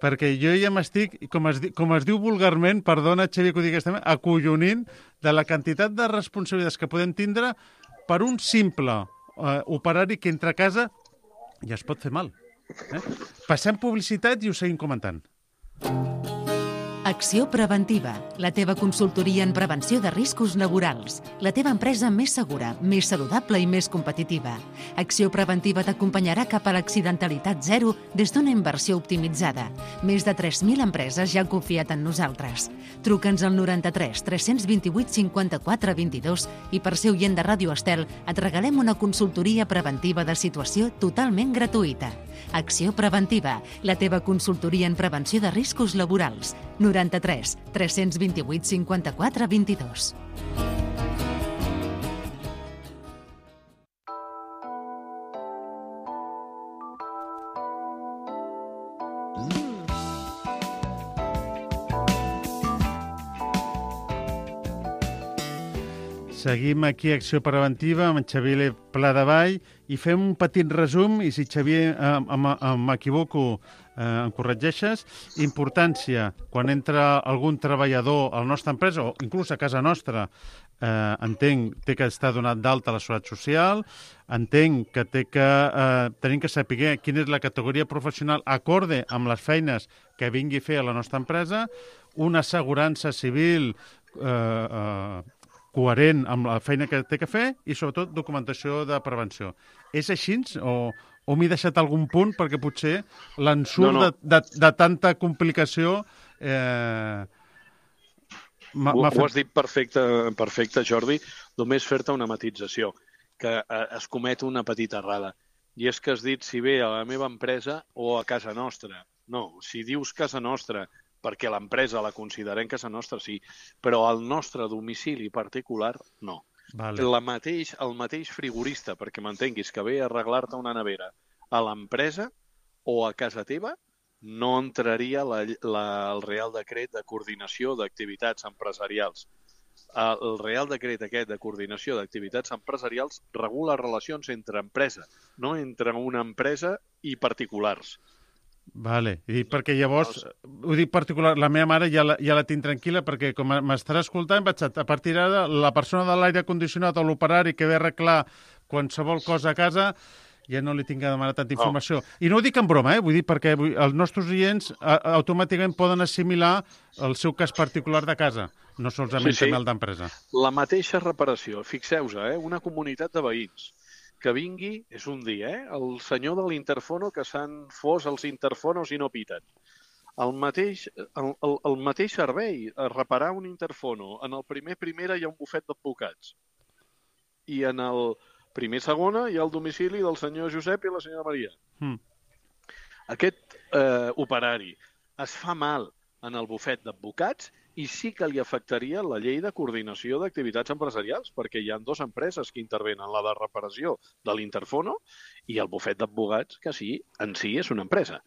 perquè jo ja m'estic, com es diu vulgarment, perdona, Xavier, que ho dic aquesta acollonint de la quantitat de responsabilitats que podem tindre per un simple operari que entra a casa ja es pot fer mal. Passem publicitat i ho seguim comentant. Acció preventiva, la teva consultoria en prevenció de riscos laborals. La teva empresa més segura, més saludable i més competitiva. Acció preventiva t'acompanyarà cap a l'accidentalitat zero des d'una inversió optimitzada. Més de 3.000 empreses ja han confiat en nosaltres. Truca'ns al 93 328 54 22 i per ser oient de Ràdio Estel et regalem una consultoria preventiva de situació totalment gratuïta. Acció preventiva, la teva consultoria en prevenció de riscos laborals. 93 328 54 22. Seguim aquí a Acció Preventiva amb en Xavier Pladevall i fem un petit resum i si, Xavier, m'equivoco, em corregeixes. Importància, quan entra algun treballador a la nostra empresa o inclús a casa nostra, entenc, té que estar donat d'alta a la Seguretat Social, entenc que tenim que saber quina és la categoria professional acorde amb les feines que vingui a fer a la nostra empresa, una assegurança civil coherent amb la feina que té que fer i, sobretot, documentació de prevenció. És així o m'he deixat algun punt perquè potser l'ensurt de tanta complicació Ho has dit perfecte, Jordi. Només fer-te una matització, que es comet una petita errada. I és que has dit si ve a la meva empresa o a casa nostra. No, si dius casa nostra perquè l'empresa la considerem casa nostra, sí, però al nostre domicili particular, no. Vale. El mateix frigorista, perquè m'entenguis, que ve a arreglar-te una nevera a l'empresa o a casa teva, no entraria el Real Decret de Coordinació d'Activitats Empresarials. El Real Decret aquest de Coordinació d'Activitats Empresarials regula relacions entre empresa, no entre una empresa i particulars. Vale, i perquè llavors, ho dic particular, la meva mare ja la tinc tranquil·la perquè com m'estarà escoltant, vaig a partir d'ara la persona de l'aire condicionat o l'operari que ve a arreglar qualsevol cosa a casa ja no li tinc que demanar tanta informació. I no ho dic en broma, vull dir perquè els nostres oients automàticament poden assimilar el seu cas particular de casa, no solament també el d'empresa. La mateixa reparació, fixeu-vos, una comunitat de veïns que vingui, és un dia, el senyor de l'interfono que s'han fos els interfonos i no piten. El mateix servei, a reparar un interfono, en el primera hi ha un bufet d'advocats. I en el segona hi ha el domicili del senyor Josep i la senyora Maria. Aquest operari es fa mal en el bufet d'advocats i sí que li afectaria la llei de coordinació d'activitats empresarials, perquè hi ha dues empreses que intervenen, la de reparació de l'interfono i el bufet d'advocats, que sí, en si és una empresa.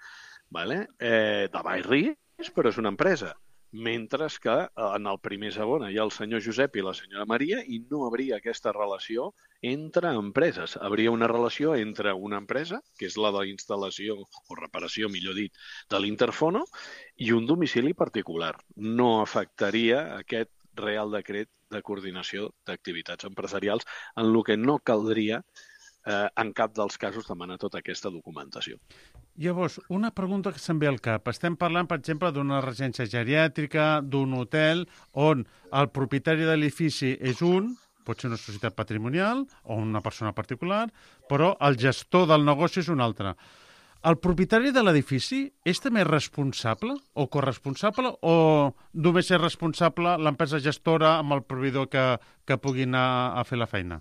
De baix risc, però és una empresa. Mentre que en el segona hi ha el senyor Josep i la senyora Maria i no hauria aquesta relació entre empreses. Hauria una relació entre una empresa, que és la d'instal·lació o reparació, millor dit, de l'interfono, i un domicili particular. No afectaria aquest Real Decret de Coordinació d'Activitats Empresarials, en el que no caldria en cap dels casos demanar tota aquesta documentació. Llavors, una pregunta que se'm ve al cap. Estem parlant, per exemple, d'una residència geriàtrica, d'un hotel, on el propietari de l'edifici és pot ser una societat patrimonial o una persona particular, però el gestor del negoci és un altre. El propietari de l'edifici és també responsable o corresponsable o només és responsable l'empresa gestora amb el proveïdor que pugui anar a fer la feina?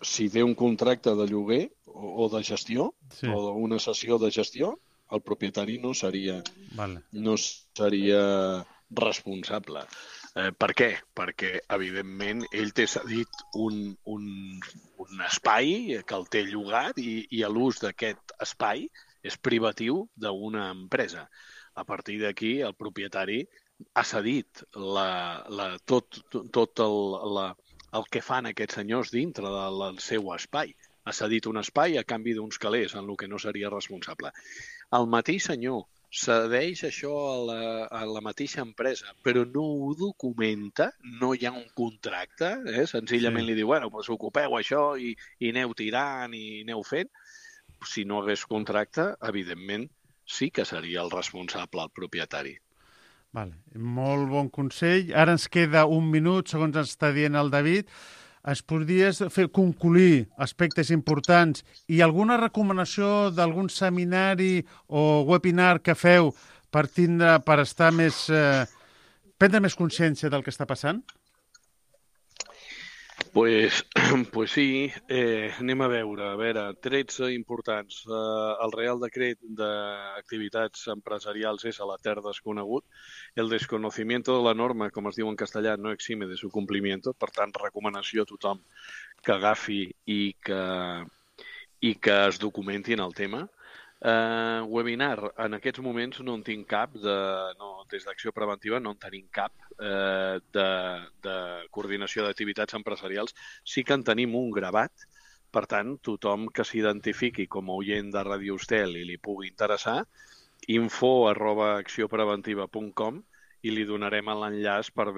Si té un contracte de lloguer o de gestió, o una sessió de gestió, el propietari no seria responsable. Per què? Perquè, evidentment, ell té cedit un espai que el té llogat i l'ús d'aquest espai és privatiu d'una empresa. A partir d'aquí, el propietari ha cedit tot el que fan aquests senyors dintre del seu espai. Ha cedit un espai a canvi d'uns calés, en el que no seria responsable. El mateix senyor cedeix això a la mateixa empresa, però no ho documenta, no hi ha un contracte, senzillament li diu, bueno, pues ocupeu això i aneu tirant i aneu fent. Si no hagués contracte, evidentment, sí que seria el responsable, el propietari. Vale. Molt bon consell. Ara ens queda un minut, segons ens està dient el David. Ens podries fer concluir aspectes importants i alguna recomanació d'algun seminari o webinar que feu per estar més... prendre més consciència del que està passant? Pues sí, anem a veure, trets importants. El Real Decret d'activitats empresarials és a la terra desconegut. El desconocimiento de la norma, com es diu en castellà, no exime de su cumplimiento. Per tant, recomanació a tothom que agafi i que es documenti en el tema. Webinar, en aquests moments no en tinc cap, des d'Acció Preventiva no en tenim cap de coordinació d'activitats empresarials. Sí que en tenim un gravat, per tant, tothom que s'identifiqui com a oient de Ràdio Estel i li pugui interessar, info@acciopreventiva.com i li donarem l'enllaç per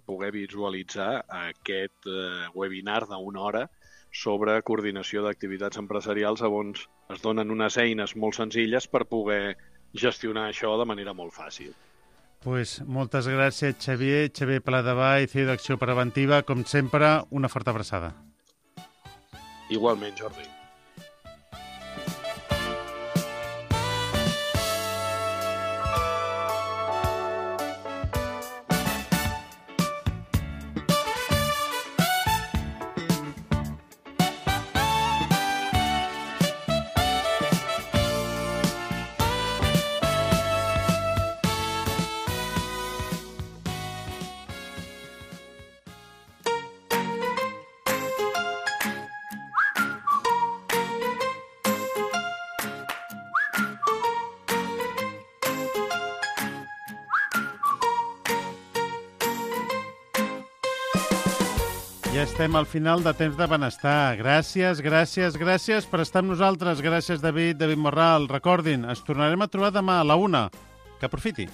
poder visualitzar aquest webinar d'una hora sobre coordinació d'activitats empresarials on es donen unes eines molt senzilles per poder gestionar això de manera molt fàcil. Pues moltes gràcies, Xavier Pladevall, CEO d'Acció Preventiva. Com sempre, una forta abraçada. Igualment, Jordi. Ja estem al final de Temps de Benestar. Gràcies per estar amb nosaltres. Gràcies, David Morral. Recordin, ens tornarem a trobar demà a la 1. Que aprofiti.